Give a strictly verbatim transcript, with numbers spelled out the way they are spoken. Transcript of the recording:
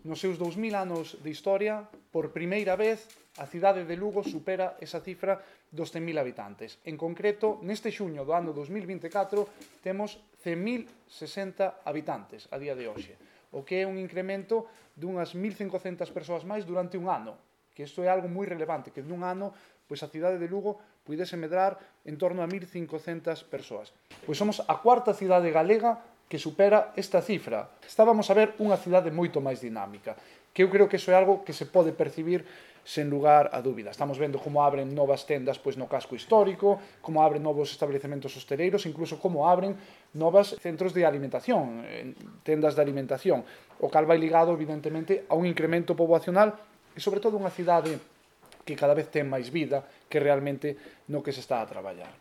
Nos seus dous mil anos de historia, por primeira vez, a cidade de Lugo supera esa cifra dos cen mil habitantes. En concreto, neste xuño do ano dos mil vinte e catro, temos cen mil sesenta habitantes a día de hoxe, o que é un incremento dunhas mil cincocentas persoas máis durante un ano, que isto é algo moi relevante, que nun ano pois a cidade de Lugo puidese medrar en torno a mil cincocentas persoas. Pois somos a cuarta cidade galega que supera esta cifra. Estábamos a ver unha cidade moito máis dinámica, que eu creo que iso é algo que se pode percibir sen lugar a dúbida. Estamos vendo como abren novas tendas pois, no casco histórico, como abren novos establecementos hosteleiros, incluso como abren novos centros de alimentación, tendas de alimentación, o cal vai ligado, evidentemente, a un incremento poboacional e, sobre todo, unha cidade que cada vez ten máis vida que realmente no que se está a traballar.